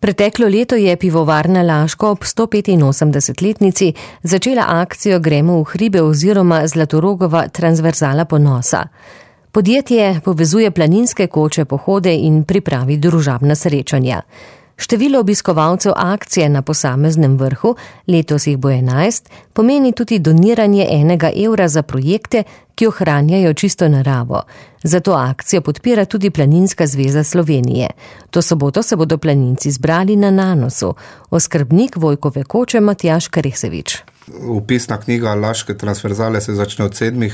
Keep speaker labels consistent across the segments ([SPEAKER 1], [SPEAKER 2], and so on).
[SPEAKER 1] Preteklo leto je pivovarna Laško ob 185-letnici začela akcijo Gremo v hribe oziroma Zlatorogova transverzala ponosa. Podjetje povezuje planinske koče, pohode in pripravi družabna srečanja. Število obiskovalcev akcije na posameznem vrhu, letos jih bo 11, pomeni tudi doniranje €1 za projekte, ki ohranjajo čisto naravo. Zato akcijo podpira tudi Planinska zveza Slovenije. To soboto se bodo planinci zbrali na Nanosu. Oskrbnik Vojkove koče Matjaž Kresevič.
[SPEAKER 2] Vpisna knjiga Laške transverzale se začne od 7.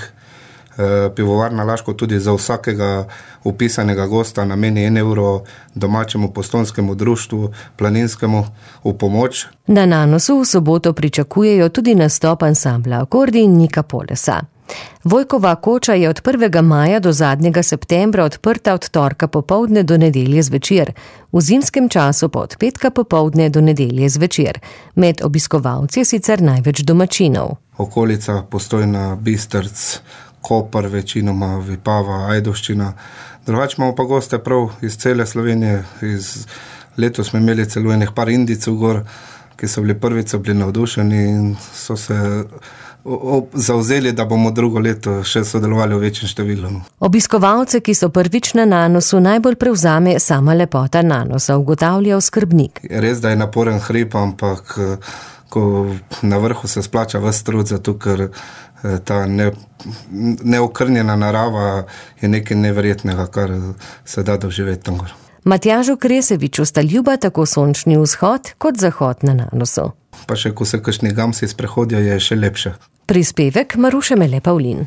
[SPEAKER 2] Pivovarna Laško tudi za vsakega upisanega gosta nameni €1 domačemu postojnskemu društvu planinskemu v pomoč.
[SPEAKER 1] Na Nanosu v soboto pričakujejo tudi nastop ansambla Akordi in Nika Polesa. Vojkova koča je od 1. maja do zadnjega septembra odprta od torka popoldne do nedelje zvečer, v zimskem času pa od petka popoldne do nedelje zvečer. Med obiskovalci je sicer največ domačinov.
[SPEAKER 2] Okolica Postojna, Bistrc, Koper, večinoma Vipava, Ajdovščina. Drugače imamo pa goste prav iz cele Slovenije. Letos smo imeli celo enih par Indijcev gor, ki so bili prvič navdušeni in so se zavzeli, da bomo drugo leto še sodelovali v večjem številu.
[SPEAKER 1] Obiskovalce, ki so prvič na Nanosu, najbolj prevzame sama lepota Nanosa, ugotavlja oskrbnik.
[SPEAKER 2] Res, da je naporen hrib, ampak ko na vrhu se splača ves trud, zato ker ta neokrnjena narava je nekaj neverjetnega, kar se da doživeti tam gor.
[SPEAKER 1] Matjažu Kreseviču sta ljuba tako sončni vzhod kot zahod na Nanosu.
[SPEAKER 2] Pa še ko se kakšni gamsi sprehodijo, je še lepše.
[SPEAKER 1] Prispevek Maruše Mele Pavlin.